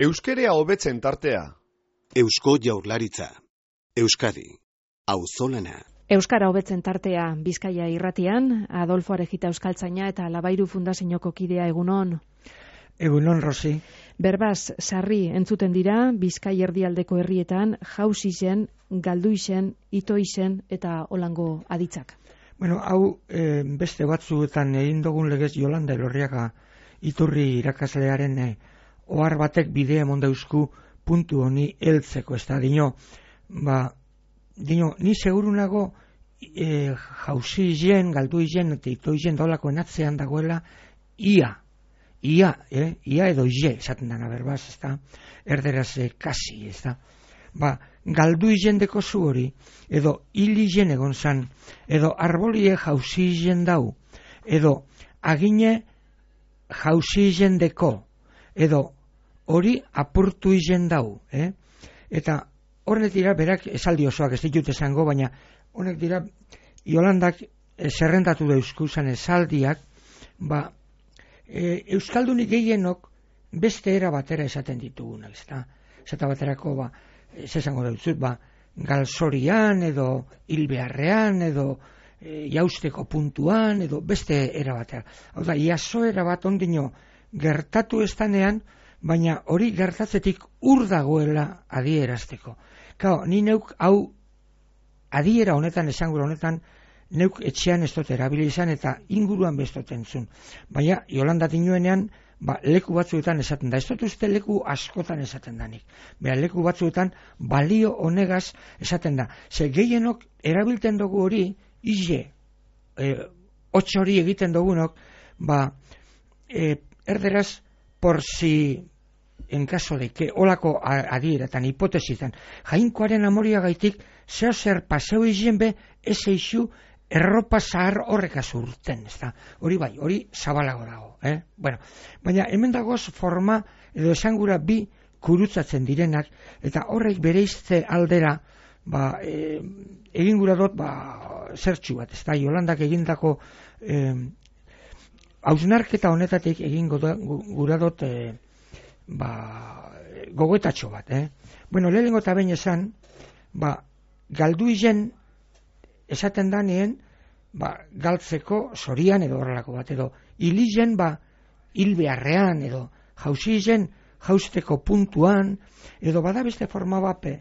Euskerea hobetzen tartea. Eusko Jaurlaritza. Euskadi. Auzolana. Euskara hobetzen tartea Bizkaia irratian, Adolfo Arejita euskaltzaina eta Labairu Fundazioko kidea egunon. Egunon, Rosi. Berbaz, sarri entzuten dira Bizkai erdialdeko herrietan jausisen, galduisen, itoisen eta holango aditzak. Bueno, hau beste batzuetan egin dugun legez Jolanda Elorriaga iturri irakaslearen ohar batek bidea emon dauzku puntu honi heltzeko, ez da, dino, ni seguru nago jausizen, galduizen eta itoizen daulako enatzean dagoela ia edo ie, esaten dana berbaz, ez da, erderaz kasi, ez da. Galduizen deko zu hori, edo hilizen egon zan, edo arbolie jausizen dau, edo agine jausizen deko, edo hori apurtu izen dau, Eta horret dira, berak esaldi osoak ez ditut esango, baina honek dira, Jolandak zerrendatu dauzkuzan esaldiak, Euskaldunik gehienok beste era batera esaten ditugunak, ez da? Zeta baterako, esango dauzut, galzorian, edo hilbeharrean, edo jausteko puntuan, edo beste era batera. Hau da, iaso era bat ondino gertatu estanean, baina hori gertatzetik ur dagoela adierazteko. Kao, ni neuk hau adiera honetan, esangura honetan, neuk etxean ez dut erabili izan eta inguruan bestoten zun. Baina, Jolanda dinoenean, leku batzuetan esaten da. Ez dut uste leku askotan esaten danik. Leku batzuetan balio honegaz esaten da. Ze gehienok erabilten dugu hori, hotx hori egiten dugunok, erderaz, por si en caso de que olako adieretan, hipotesitan, jainkoaren amoriagaitik zeo zer paseo izien be, ez eixu erropa zahar horrekaz urten, ez da. Hori bai, hori zabalago dago. Baina hemen dagoz forma edo esangura bi kurutzatzen direnak, eta horrek bereizte aldera, egin gura dut, zertxu bat, ez da, Jolandak egindako hausnarketa honetatik egin gura dut gogoetatxo bat, lehenengo eta behin esan, galduizen esaten danien, galtzeko zorian edo horrelako bat, edo hilizen, hilbeharrean, edo jausizen, jausteko puntuan, edo bada beste forma bape,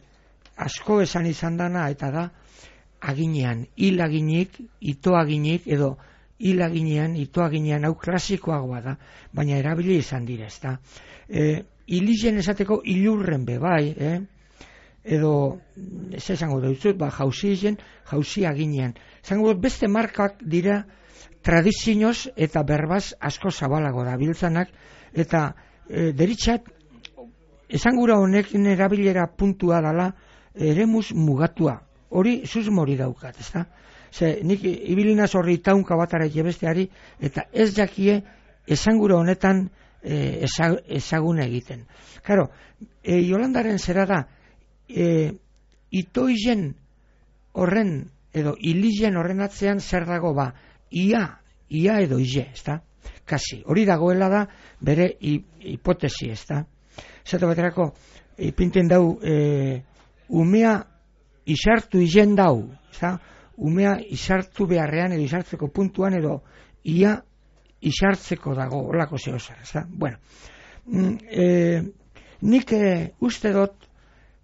asko esan izan dana, eta da, aginean, hilaginik, itoaginik, edo hilaginean, itoaginean, hau klasikoagoa da, baina erabili izan dira, ez da. Hilizen esateko hilurren bebai, edo, ez esango dut, jausizen, jausi aginean. Esango dut, beste markak dira tradizioz eta berbaz asko zabalago da biltzanak, eta deritxat, esangura honekin erabilera puntua dala, eremuz mugatua. Hori susmori daukat, ez da? Nik ibilinaz horri taunka batara besteari, eta ez jakie esangura honetan ezaguna egiten. Karo, Jolandaren zera da, itoizen horren, edo hilizen horren atzean zer dago ia edo ie, ez da? Kasi, hori dagoela da bere hipotesi, ez da? Zato baterako, ipinten dau, umea isartu izen dau, ez da? Umea isartu beharrean edo isartzeko puntuan edo ia isartzeko dago, holako zehozar, ez da? Bueno, nik uste dut,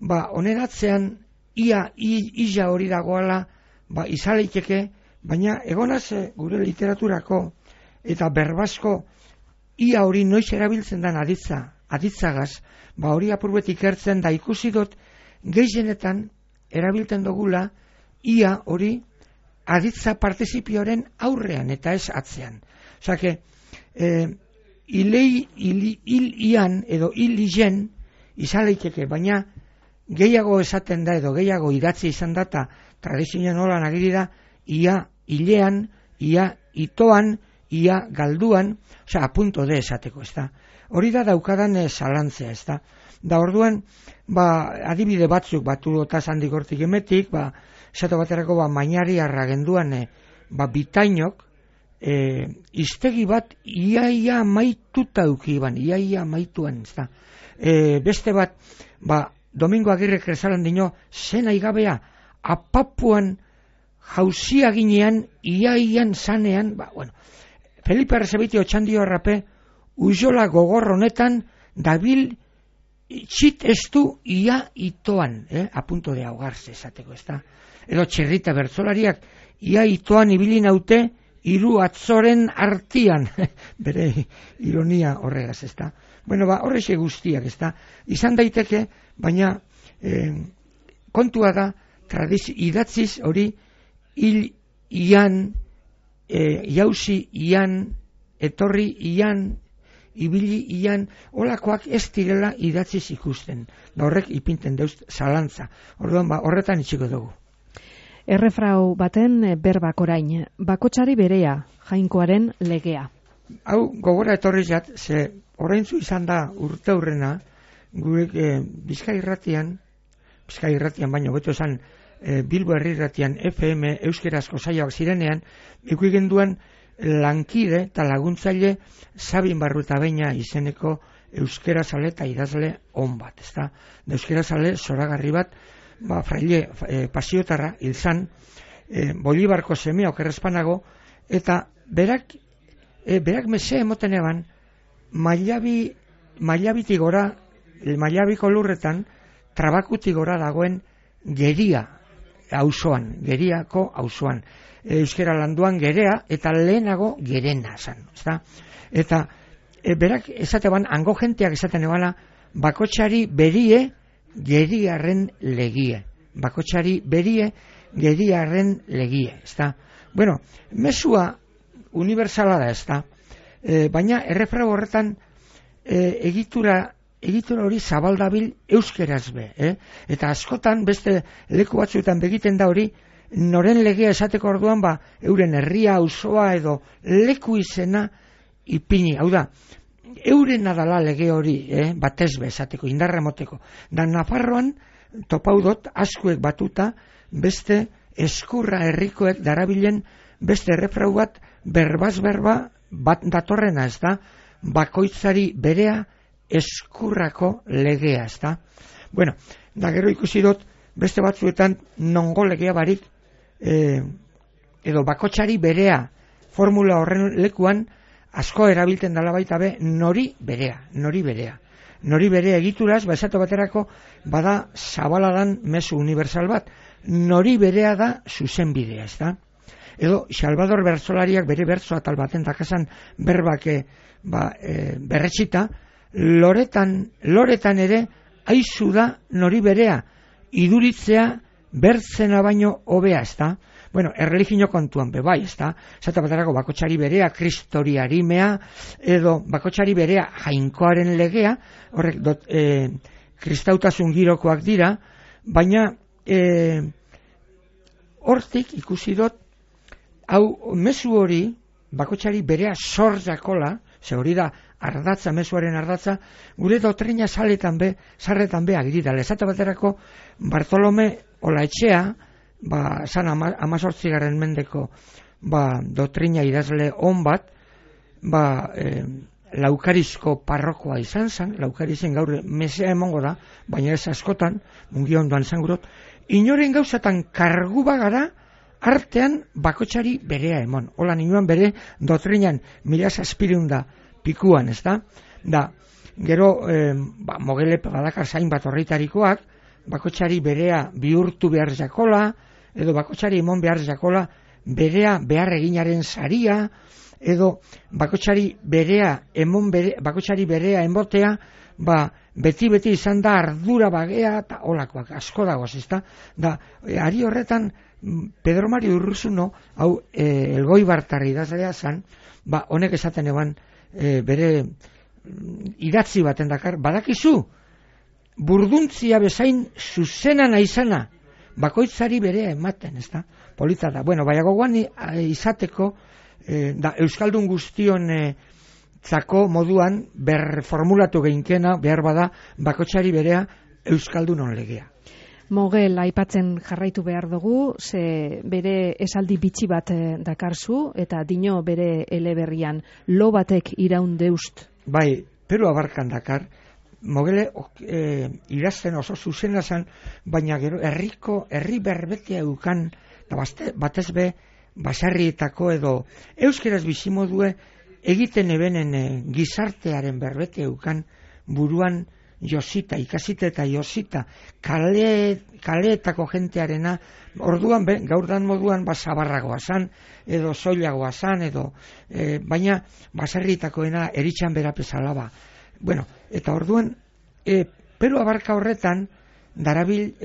oneratzean ia hori dagoela, izaleiteke, baina egonaz gure literaturako eta berbazko ia hori noiz erabiltzen den aditzagaz, hori apurbetik ertzen da ikusi dut gehienetan erabiltzen dugula ia hori aditza partizipioaren aurrean eta ez atzean. Osake, hilian edo hilizen izaleiteke, baina gehiago esaten da edo gehiago idatzi izan da eta tradizioan holan agiri da ia hilean, ia itoan, ia galduan, apunto de esateko, ez da. Hori da daukadan zalantzea, ez da. Da orduan, adibide batzuk batu eta zandik hortik emetik, esatu baterako mainari arragenduan bitainok, iztegi bat iaia maituta eukiban, iaia maituan, ez da. beste bat, Domingo Agirrek esalan dino, zena igabea, apapuan jauzia ginean, iaian zanean, Felipe Arrezabiti otxandio arrape, ujola gogor honetan, dabil txit estu ia itoan, apunto de ahogarse esateko, ezta? Edo Txerrita bertzolariak, ia itoan ibili naute, hiru atzoren artian, bere ironia horregaz, ezta? Horrexe guztiak, ezta? Izan daiteke, baina kontua da, idatziz hori, hil ian, jauzi ian, etorri ian, ibili ian, olakoak ez direla idatziz ikusten. Horrek ipinten deuz zalantza. Orduan, horretan itxiko dugu. Errefrau baten berbak orain, bakotsari berea, jainkoaren legea. Hau, gogora etorri jat, ze oraintzu izan da urte hurrena, gure Bizkai irratian baino, beto esan Bilbo herri irratian FM euskerazko saioak zirenean, ikuigen duen lankide eta laguntzaile Sabin Barrutabeina izeneko euskerazale eta idazle on bat, ezta? Euskerazale zoragarri bat, fraile pasiotarra hilzan, Bolibarko semea okerrezpanago, eta berak mese emoten eban, mailabitik gora, mailabiko lurretan, trabakutik gora dagoen Geria auzoan, Geriako auzoan. Euskera landuan Gerea eta lehenago Gerena zan, ezta? Eta berak esateban, hango jenteak esaten ebana, bakotsari berie Geriarren legie. Bakotsari berie Geriarren legie, ezta? Mesua universala da, ezta? Baina errefrau horretan egitura hori zabaldabil euskeraz be, eta askotan beste leku batzuetan begiten da hori, noren legea esateko orduan, euren herria, auzoa edo leku izena ipini, hau da, euren adala lege hori, batez be esateko, indarra moteko. Da Nafarroan, topaudot, askuek batuta, beste eskurra herrikoek darabilen beste errefrau bat, berbaz berba bat datorrena, ez da, bakoitzari berea eskurrako legea, ez da. Da gero ikusi dut, beste batzuetan nongo legea barik, edo bakotsari berea, formula horren lekuan, asko erabiltzen dela baita be, nori berea. Nori berea egituraz, esate baterako, bada zabaladan mezu universal bat, nori berea da zuzenbidea, ez da. Edo, Salvador bertzolariak bere bertzo atal baten dakasan berbake berretxita, loretan ere aizu da nori berea, iduritzea bertzena baino hobea, ez da? Erreligio kontuan bebai, ez da? Zata baterako bakotsari berea, kristori harimea, edo bakotsari berea jainkoaren legea, horrek kristautasun girokoak dira, baina hortik ikusi dut, hau mezu hori, bakotsari berea sorjakola, ze hori da ardatza, mezuaren ardatza, gure dotrina sarretan be agirida. Lezata baterako Bartolome Olaetxea, zan 18. mendeko dotrina idazle on bat, Laukarizko parrokoa izan zen, Laukarizen gaur mesea emongo da, baina ez askotan, mungi ondoan izan gurot, inoren gauzatan kargu bagara, artean bakotsari berea emon. Hola ninuan bere dotrinan 1700 pikuan, ez da? Gero, mogele badakar zain bat horreitarikoak, bakotsari berea bihurtu behar jakola, edo bakotsari emon behar jakola, berea behar eginaren saria, edo bakotsari berea enbotea, beti izan da ardura bagea eta olakoak, asko dagoaz, ez da? Ari horretan, Pedro Mario Urruzuno, hau Elgoibartarri idazlea zan, honek esaten eban bere idatzi baten dakar, badakizu, burduntzia bezain zuzena naizana, bakoitzari berea ematen, ez da? Polita da. Baina gogoan izateko, Euskaldun guztion zako moduan berformulatu geinkena, behar bada, bakoitzari berea Euskaldunon legea. Mogel aipatzen jarraitu behar dugu, ze bere esaldi bitxi bat dakarzu, eta dino bere eleberrian, lo batek iraun deust. Peru abarkan dakar, Mogele idazten oso zuzena zen, baina gero herri berbetea eukan, eta batez be, baserrietako edo euskeraz bizimodue egiten ebenen gizartearen berbete eukan buruan josita, ikasita eta josita, kaleetako jentearena, orduan gaurdan moduan zabarragoa zan, edo soilagoa zan, edo, baina baserrietakoena eritxan berapezala. Bueno, eta orduan, pero abarka horretan, darabil,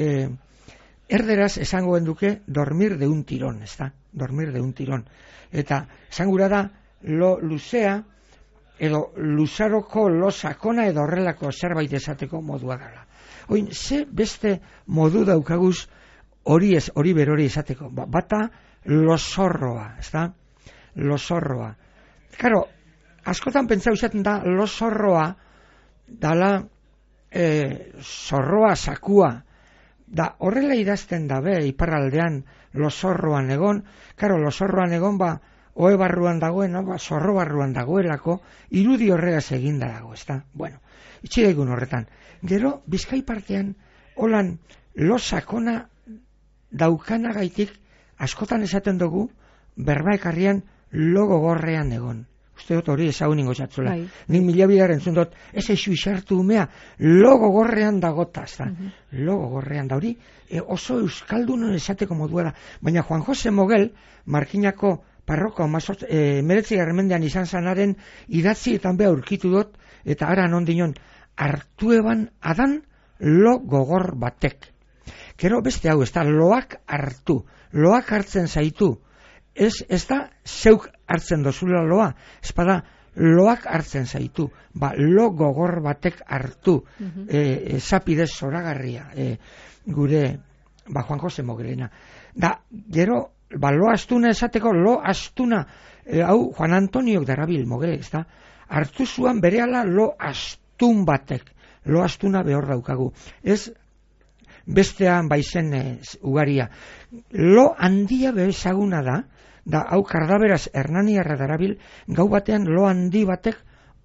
erderaz esango genduke dormir de un tirón, ezta? Dormir de un tirón. Eta esangura da, lo luzea, edo luzaroko lo sakona edo horrelako zerbait esateko modua dela. Oin, ze beste modu daukaguz hori berori esateko. Bata lo zorroa, ezta? Lo zorroa. Karo, askotan pentsau izaten da, lo zorroa dala zorroa sakua. Da horrela idazten dabe iparraldean lozorroan egon, karo, lozorroan egon oe barruan dagoen, zorro barruan dagoelako, irudi horregaz eginda dago, ezta? Bueno, itxidaigun horretan. Gero, Bizkai partean, holan, lo sakona daukanagaitik, askotan esaten dugu, berbaekarrian lo gogorrean egon. Uste dut hori ezagun ingo txatzula. Nik milabidar entzun dut, ez eixu isartu umea, lo gogorrean dagota, ezta? Lo gogorrean da hori, oso euskaldunon esateko modua da. Baina Juan Jose Mogel, Markinako parroko 19. mendean izan zanaren idatzietan beha aurkitu dut, eta ara non dinon, hartu eban adan lo gogor batek. Gero beste hau, ez da, loak hartzen zaitu. Ez da, zeuk hartzen dozula loa, ez bada, loak hartzen zaitu. Lo gogor batek hartu, zapidez zoragarria, gure, Juan Jose Mogelena. Da, gero, lo astuna esateko, lo astuna, hau Juan Antoniok darabil Mogele, ez da, hartu zuan berehala lo astun batek, lo astuna behor daukagu. Ez bestean baizen ugaria. Lo handia bezaguna da hau kardaberaz Hernaniarra darabil, gau batean lo handi batek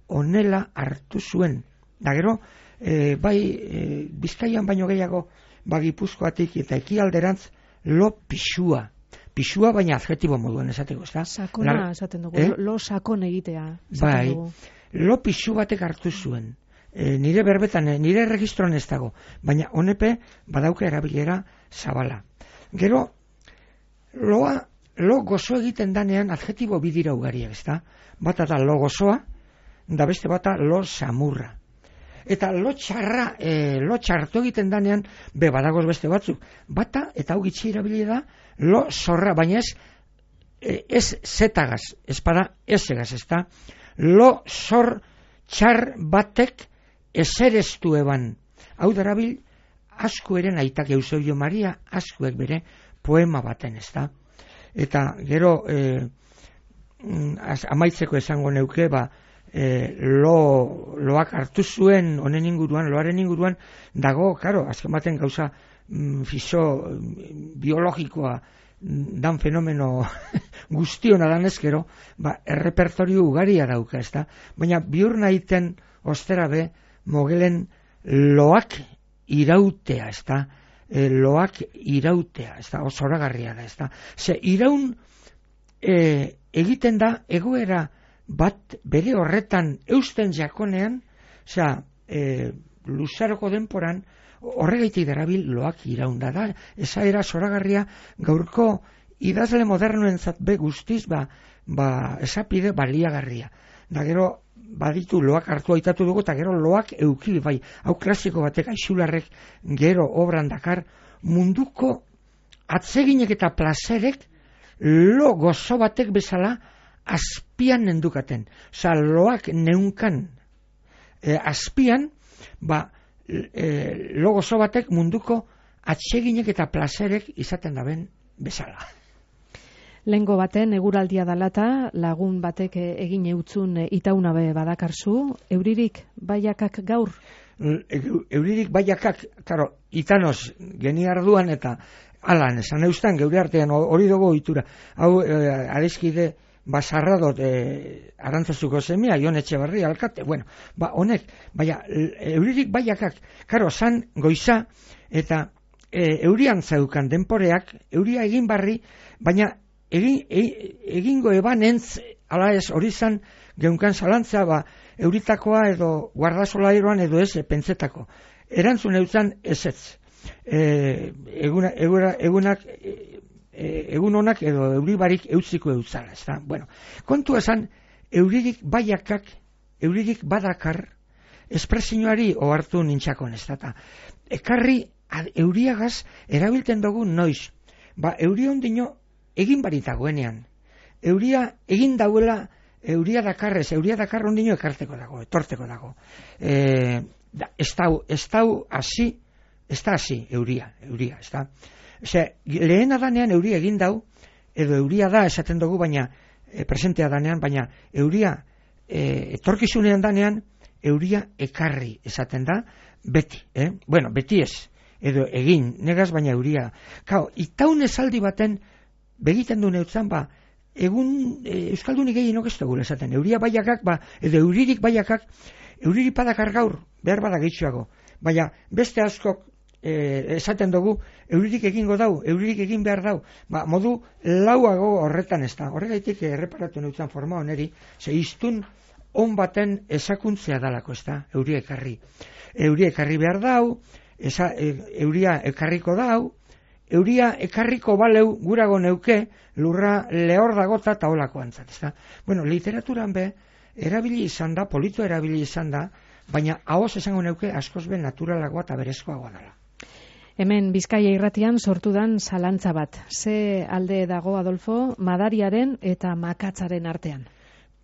onela hartu zuen. Da gero, Bizkaian baino gehiago, Gipuzkoatik eta ekialderantz, lo pixua. Pixua baina adjetibo moduan esateko, ez da? Sakona esaten dugu, lo sakon egitea. Bai, lo pixu batek hartu zuen. Nire berbetan, nire registroan ez dago, baina honepe badauka erabilera zabala. Gero, lo gozo egiten danean adjetibo bidira ugariak, ez da? Bata da lo gozoa, da beste bata lo samurra. Eta lo txartu egiten danean, badagoz beste batzuk. Bata, eta hau gitzi erabili da, lo zorra, baina ez zetagaz, ez bada ezegaz, ez da? Lo zor txar batek esereztu eban. Hau darabil, asko eren aitak Eusebio Maria, askoek bere poema baten, ez da? Eta gero, amaitzeko esango neuke, loak hartu zuen honen inguruan, loaren inguruan, dago, karo, azken baten gauza biologikoa dan fenomeno guztiona dan ezkero, errepertorio ugaria dauka, ez da? Baina biur nahiten ostera be, Mogelen loak irautea, ez da? Loak irautea, ez da? Osoragarria da, ez da? Ze iraun egiten da egoera bat bere horretan eusten jakonean, luzaroko denporan, horregaitik darabil loak iraunda da. Eza era zoragarria gaurko idazle modernoentzat be guztiz, esapide baliagarria. Da gero, baditu loak hartu aitatu dugu, eta gero loak eukili, hau klasiko batek Aixularrek gero obran dakar, munduko atseginek eta plazerek lo gozo batek bezala azpian nendukaten. Loak neunkan azpian, lo gozo batek munduko atseginek eta plazerek izaten daben bezala. Lengo baten eguraldia dalata, lagun batek egin eutzun itaunabe badakarzu, euririk baiakak gaur? Euririk baiakak, karo, itanoz geni arduan eta alan, esan eustan geure artean hori dugu ohitura. Hau, adizkide Sarradot Arantzazuko semea, Jon Etxebarri alkate, bueno, honek, euririk baiakak, karo, zan goiza, eta eurian zaukan denporeak, euria egin barri, baina egingo ebanentz, ala ez, hori zan, geunkan zalantza, euritakoa edo guardasolairoan edo ez, pentsetako. Erantzun eutzan ezetz. Egun honak edo euribarik eutziko eutzala, ez da? Bueno, kontu esan, euririk baiakak, euririk badakar, espresioari ohartu nintxakon, ez da? Ekarri, euriagaz, erabilten dugu noiz. Euri ondino, egin baritagoenean. Euria egin dauela, euria dakarrez, euria dakar ondino ekarteko dago, etorteko dago. Ez da hasi euria, ez da. Lehen danean euria egin dau, edo euria da esaten dugu, baina presentea danean, baina euria etorkizunean danean, euria ekarri esaten da, beti, bueno, beti ez, edo egin, negaz baina euria. Itaun esaldi baten, begiten du neutzan, egun Euskaldunik gehienok ez dugu esaten, euria baiakak, edo euririk baiakak, euririk badakar gaur, behar bada gehitxoago, baina beste askok esaten dugu, euririk egingo dau, euririk egin behar dau, modu lauago horretan ez da, horregaitik erreparatu neutzan forma oneri, iztun on baten esakuntzea dalako ez da, euria ekarri behar dau, euria ekarriko dau, euria ekarriko baleu gurago neuke lurra lehor dagota eta olako antzat, ez da? Bueno, literaturan erabili izan da, polito erabili izan da, baina ahoz esango neuke askoz naturalagoa eta berezkoagoa dela. Hemen Bizkaia irratian sortudan zalantza bat. Ze alde dago, Adolfo, madariaren eta makatzaren artean?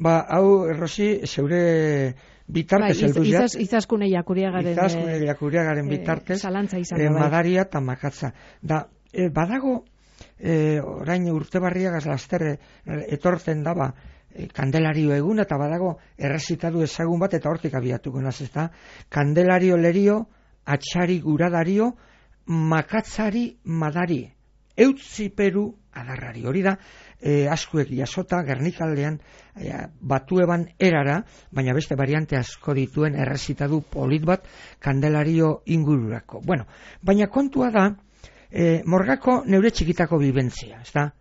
Hau, Rosi, zeure bitartez heldu ja. Izaskune jakuriagaren bitartez, zalantza izan da. Madaria eta makatza. Badago, orain urtebarriagaz laster etortzen daba, Kandelario egun, eta badago errezitadu ezagun bat, eta hortik abiatuko naz, ez da? Kandelario lerio, atxari guradario, makatzari madari, eutziperu adarrari. Hori da, askuek jasota, Gernikaldean, batueban erara, baina beste variante asko dituen errezitadu polit bat, Kandelario ingururako. Bueno, baina kontua da, morgako neure txikitako bibentzia, ez da?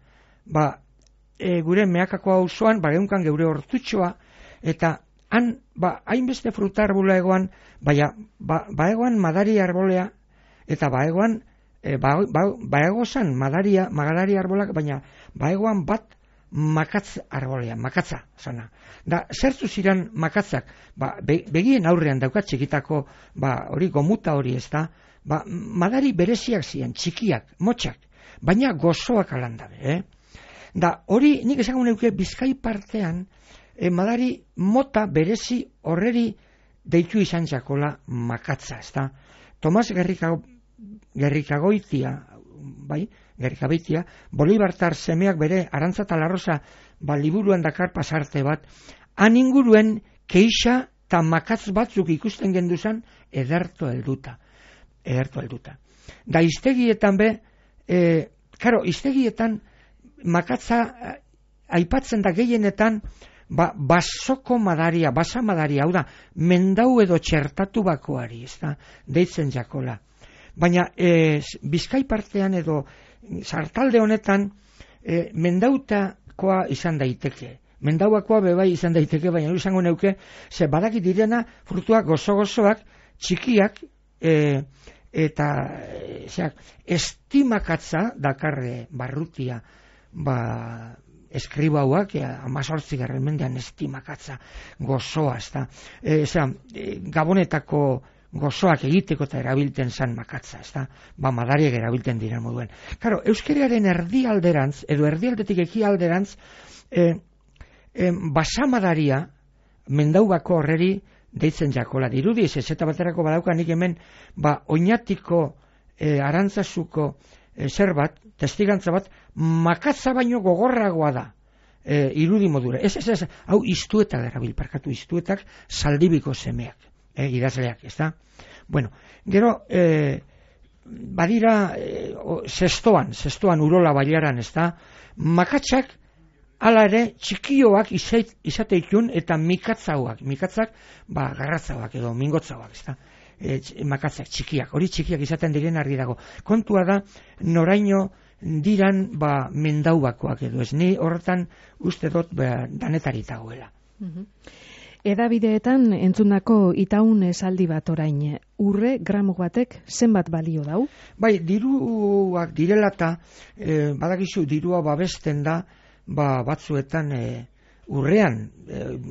Gure meakako auzoan, geunkan geure hortutxoa, eta han, hainbeste fruta arbula egoan, egoan madari arbolea, eta egoan, egoan magadari arbolak, baina egoan bat makatz arbolea, makatza, zana. Zertu ziren makatzak, begien aurrean daukat txikitako, hori gomuta hori ez da, madari bereziak ziren, txikiak, motxak, baina gozoak alandabe, hori nik esango neuke Bizkai partean, madari mota berezi horreri deitu izan jakola makatza, ez da. Tomas Gerrikagoitia, Bolibartar semeak bere Arantza eta Larrosa liburuan dakar pasarte bat, han inguruen keixa eta makatz batzuk ikusten genduzan ederto helduta. Da iztegietan iztegietan makatza aipatzen da gehienetan basoko madaria, basa madaria, hau da, mendau edo txertatu bakoari, ez da, deitzen jakola. Baina Bizkai partean edo sartalde honetan mendautakoa izan daiteke. Mendauakoa bebai izan daiteke, baina izango neuke, ze badaki direna frutuak gozo-gozoak, txikiak, eta estimakatza dakarre barrutia, eskribauak, 18. mendean estimakatza gozoa, ez da. Gabonetako gozoak egiteko eta erabilten zan makatza, ez da. Madariak erabilten diren moduen. Karo, euskeraren erdialderantz, edo erdialdetik ekialderantz, basamadaria, mendaubako horreri deitzen jakola. Dirudiz, ez eta baterako badauka nik hemen, oinatiko Arantzazuko zer bat, testigantza bat, makatza baino gogorragoa da, irudi modura. Ez, hau iztuetak erabil, iztuetak Zaldibiko semeak, idazleak, ez da? Bueno, gero, badira zestoan Urola Bailaran, ez da? Makatzak hala ere txikioak izateikun eta mikatzak garratzauak edo mingotzauak, ezta? Makatzak txikiak, hori txikiak izaten diren argi dago. Kontua da noraino diran mendaubakoak edo ez, ni horretan uste dut danetari dagoela. Edabideetan entzundako itaun esaldi bat orain, urre gramo batek zenbat balio dau? Bai, diruak direla eta badakizu dirua babesten da batzuetan urrean,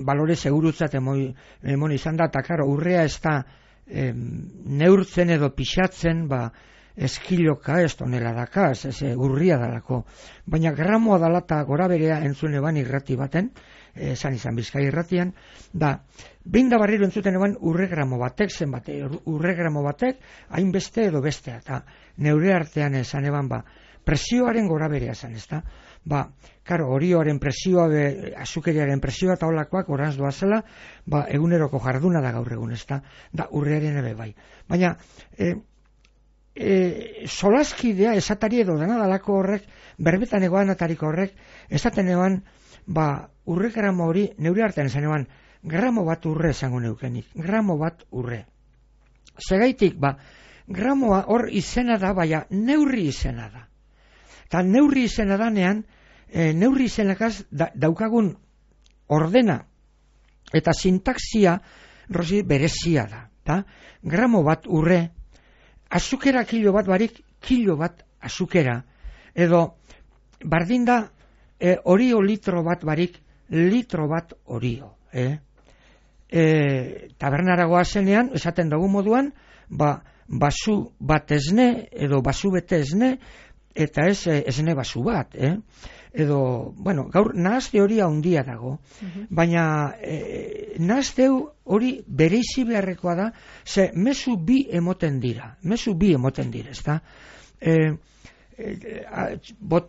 balore segurutzat emon izan da, eta karo, urrea ez da neurtzen edo pixatzen, eskiloka ez tonela daka, ez urria dalako. Baina gramoa dala eta gora berea entzun eban irrati baten, esan izan Bizkai irratian, behin da barriro entzuten eban urre gramo batek, urre gramo batek, hainbeste edo bestea, eta neure artean esan eban presioaren gora berea esan, ez da? Karo, horioaren presioa, azukeriaren presioa eta holakoak oranz doazela, eguneroko jarduna da gaur egun, ez da? Da, urrearen ebe bai. Baina, solaskidea esatari edo danadalako horrek, berbetan egoan atariko horrek, esaten eban, urre gramo hori, neure artean esan eban, gramo bat urre esango neukenik, gramo bat urre. Segaitik, gramoa hor izena da, baina neurri izena da. Eta neurri izena danean, neurri izenakaz daukagun ordena eta sintaxia berezia da. Gramo bat urre, azukera kilo bat barik, kilo bat azukera, edo bardin da orio litro bat barik, litro bat orio. Tabernaragoa zenean, esaten dugu moduan, basu bat esne, edo basu bete esne, eta ez esne basu bat, edo, gaur nahazte hori handia dago, baina nahazte hori bereizi beharrekoa da, ze mezu bi emoten dira, ez da?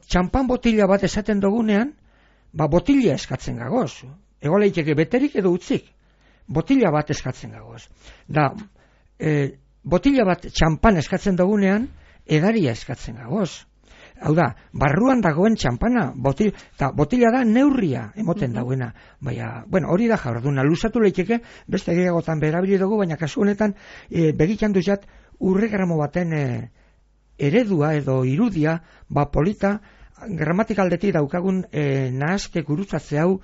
Txampan botila bat esaten dugunean, botila eskatzen gagoz, ego leiteke beterik edo utzik, botila bat eskatzen gagoz. Botila bat txampan eskatzen dugunean, edaria eskatzen gagoz. Hau da, barruan dagoen txampana, botila da neurria emoten dagoena. Baina, hori da jarduna, luzatu leiteke, beste gehiagotan berabili dugu, baina kasu honetan, begitan duzat, urre gramo baten eredua edo irudia, polita, gramatikaldeti daukagun nahazte gurutzatze hau,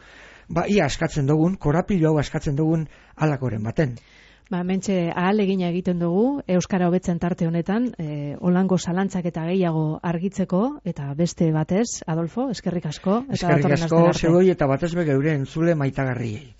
ia askatzen dugun, korapilo hau askatzen dugun alakoren baten. Mentxe ahalegina egiten dugu, Euskara hobetzen tarte honetan, olango zalantzak eta gehiago argitzeko, eta beste batez, Adolfo, eskerrik asko. Eskerrik asko, zegoi eta batez geure entzule maitagarriei.